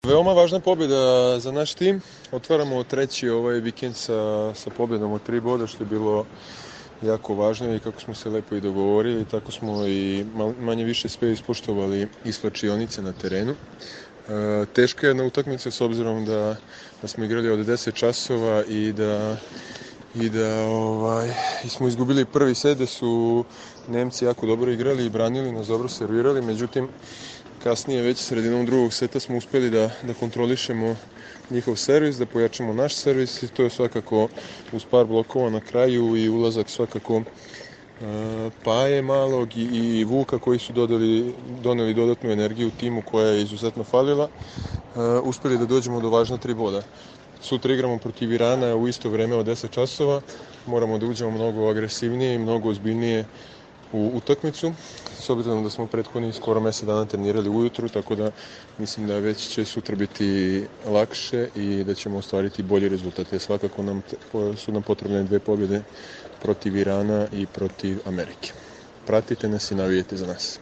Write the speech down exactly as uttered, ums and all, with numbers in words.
Veoma važna pobjeda za naš tim. Otvaramo treći ovaj vikend sa, sa pobjedom od tri boda, što je bilo jako važno i kako smo se lepo i dogovorili, tako smo i manje više sve ispoštovali iz slačionice na terenu. E, teška je jedna utakmica s obzirom da, da smo igrali od deset časova i da i da ovaj, smo izgubili prvi set, da su Nemci jako dobro igrali i branili, nas dobro servirali, međutim kasnije već sredinom drugog seta smo uspjeli da, da kontrolišemo njihov servis, da pojačamo naš servis i to je svakako uz par blokova na kraju i ulazak svakako uh, Paje malog i, i Vuka koji su dodali, doneli dodatnu energiju timu koja je izuzetno falila, uh, uspjeli da dođemo do važna tri boda. Sutra igramo protiv Irana u isto vreme od deset časova, moramo da uđemo mnogo agresivnije i mnogo ozbiljnije u utakmicu, s obzirom da smo prethodnih skoro mjesec dana trenirali ujutru, tako da mislim da već će sutra biti lakše i da ćemo ostvariti bolji rezultat. Svakako nam, su nam potrebne dve pobjede protiv Irana i protiv Amerike. Pratite nas i navijete za nas.